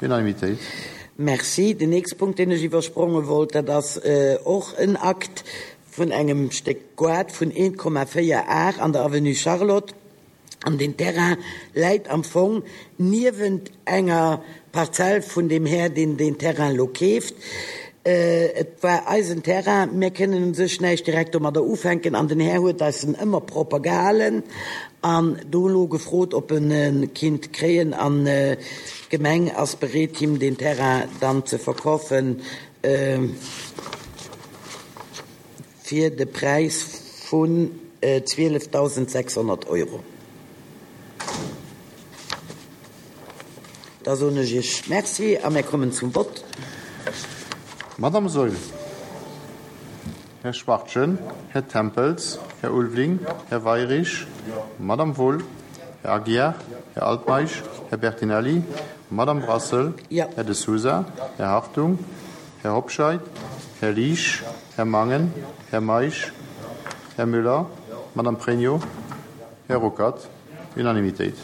Unanimitéit. Merci. Den nächste Punkt, deen ech iwwerspronge wollt, dat ass och en Akt vun engem Stéck Goart vun 1,4 Ar an der Avenue Charlotte. An deen Terrain läit am Fong niewent enger Parzell vun deem Här, deen deen Terrain elo keeft. Et war eisen Terrain, mir kënnen u sech näischt direkt domadder ufänken an den Här huet eis en ëmmer propper gehalen an do elo gefrot, ob en e kinnt kréien an d'Gemeng ass bereet, him deen Terrain dann ze verkaufen fir de Präis vun 12.600 Euro. Da soen ech Iech Merci a mir kommen zum Vott. Madamm Saeul, Här Schwachtgen, Här Tempels, Här Ulveling, Här Weirich, Madamm Wohl, Här Aguiar, Här Altmeisch, Här Bertinelli, Madamm Brassel, Här De Sousa, Här Hartung, Här Hobscheit, Här Liesch, Här Mangen, Här Meisch, Här Müller, Madamm Pregno, Här Ruckert. Unanimitéit.